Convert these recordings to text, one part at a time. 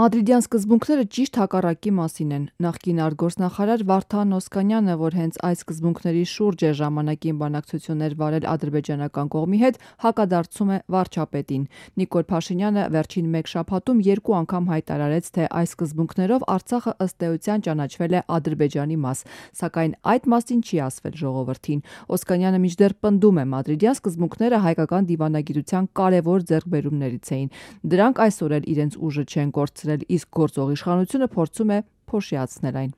Մադրիդյան սկզբունքները ճիշտ հակառակի մասին են։ Նախկին արտգործնախարար Վարդան Օսկանյանը, որ հենց այս սկզբունքների շուրջ է ժամանակին բանակցություններ վարել ադրբեջանական կողմի հետ, հակադարձում է վարչապետին։ Նիկոլ Փաշինյանը վերջին մեկ շաբաթում 2 անգամ հայտարարեց, թե այս սկզբունքներով Արցախը ըստ էության ճանաչվել է Ադրբեջանի մաս, սակայն այդ մասին չի ասվել ժողովրդին։ Օսկանյանը մինչդեռ պնդում է, մադրիդյան սկզբունքները հայկական դիվանագիտության կարևոր ձեռքբերումներից էին։ Դրանք այսօր էլ իրենց ուժը չեն կորցրել, իսկ գործող իշխանությունը փորձում է փոշիացնել այն։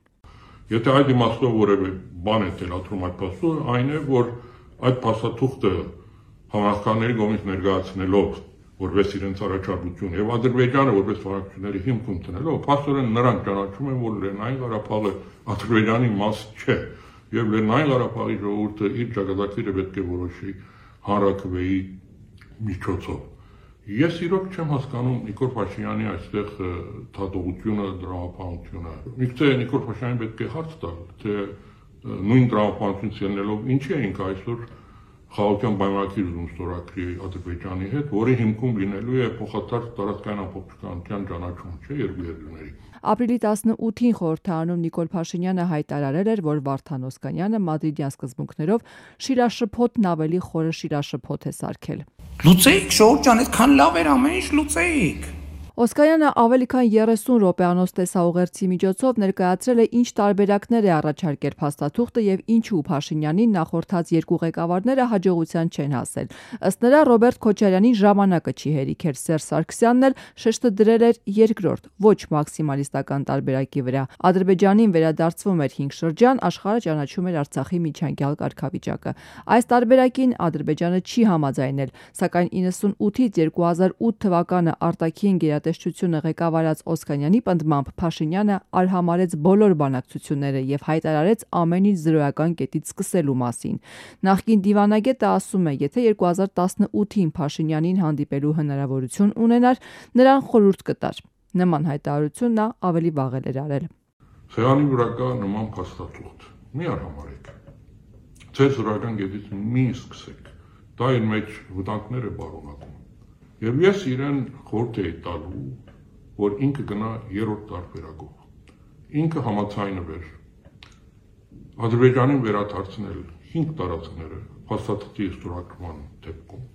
Եթե այդ իմաստով որևէ բան է թելադրում այդ փաստը, այն է, որ այդ փաստաթուղթը համախոհների կողմից ներկայացնելով որպես իրենց առաջարկություն եւ Ադրբեջանը որպես վարակությունների հիմք ընդունելով, փաստորեն նրանք ճանաչում են, որ Լեռնային Ղարաբաղը Ադրբեջանի մաս չէ եւ Լեռնային Ղարաբաղի ժողովուրդը իր ճակատագիրը պետք է որոշի հանրաքվեի միջոցով։ Ես իրոք չեմ հասկանում Նիկոլ Փաշինյանի այստեղ թատողությունը, դրամապանությունը։ Միգուցե Նիկոլ Փաշինյանին պետք է հարց տալ, թե նույն դրամապանությունից ելնելով ինչի էինք այսօր խաղաղության պայմանագիր ուզում ստորագրի Ադրբեջանի հետ, որի հիմքում լինելու է փոխադարձ տարածքային ամբողջականության ճանաչում, չէ, երկու երկրների։ Ապրիլի 18-ին խորհրդարանում Նիկոլ Փաշինյանը հայտարարել էր, որ Վարդան Օսկանյանը մադրիդյան սկզբունքներով շիրաշփոթն ավելի խորը շիրաշփոթ է սարքել։ Լուծեիք, Շողոն ջան, այդքան լավ էր ամեն ինչ, լուծեիք։ Օսկանյանը ավելի քան 30 րոպեանոց տեսաուղերձի միջոցով ներկայացրել է ինչ տարբերակներ է առաջարկել փաստաթուղթը եւ ինչու Փաշինյանին նախորդած երկու ղեկավարները հաջողության չեն հասել։ Ըստ նրա Ռոբերտ Քոչարյանին ժամանակը չի հերիքել, Սերժ Սարգսյանն էլ շեշտը դրել էր երկրորդ, ոչ մաքսիմալիստական տարբերակի վրա։ Ադրբեջանին վերադարձվում էր 5 շրջան, աշխարհը ճանաչում էր Արցախի միջանկյալ կարգավիճակը։ Այս տարբերակին Ադրբեջանը չի համաձայնել, սակայն 98-ից 2008 թվականը արտաքին տեսչությունը ղեկավարած Օսկանյանի պնդմամբ Փաշինյանը արհամարեց բոլոր բանակցությունները եւ հայտարարեց ամեն ինչ զրոյական կետից սկսելու մասին։ Նախկին դիվանագետը ասում է, եթե 2018-ին Փաշինյանին հանդիպելու հնարավորություն ունենար, նրան խորհուրդ կտար։ Նման հայտարարություն նա ավելի վաղ էր արել։ Սեղանի վրա կա նման փաստաթուղթ։ Մի արհամարեք։ Ձեր զրոյական կետից մի սկսեք։ Դա իր մեջ վտանգներ է բարունակում։ Եվ ես իրեն խորհուրդ էի տալու, որ ինքը գնա երրորդ տարբերակով։ Ինքը համաձայնվեր Ադրբեջանին վերադարձնել 5 տարածքները փաստաթղթի ստորագրման դեպքում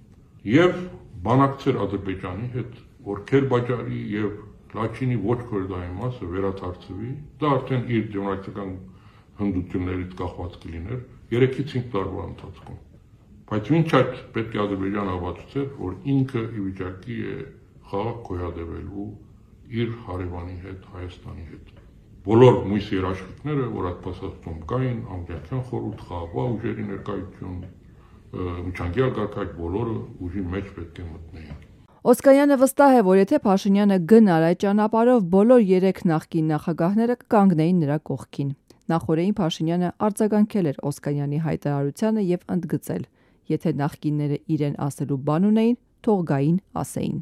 եւ բանակցեր Ադրբեջանի հետ, որ Քերբաջարի եւ Լաչինի ոչ կորդայի մասը վերադարձվի, դա արդեն իր դեմոկրատիական հնդություններից կախված կլիներ 3-ից 5 տարվա ընթացքում։ Բայց մինչ այդ պետք է Ադրբեջանը հավատացեր, որ ինքը ի վիճակի է խաղաղ գոյատևելու իր հարևանի հետ, Հայաստանի հետ։ Բոլոր մույս երաշխիքները, որ այդ փաստաթղթում կային, անգլիական խորհուրդ, խաղաղ ուժերի ներկայություն, միջանկյալ կարգավիճակ, բոլորը ուժի մեջ պետք է մտնեին։ Օսկանյանը վստահ է, որ եթե Փաշինյանը գնար այդ ճանապարհով, բոլոր 3 նախկին նախագահները կկանգնեին նրա կողքին։ Նախորդին Փաշինյանը արձագանքել էր Օսկանյանի հայտարարությանը եւ ընդգծել. եթե նախկինները իրեն ասելու բան ունեին, թող գային ասեին։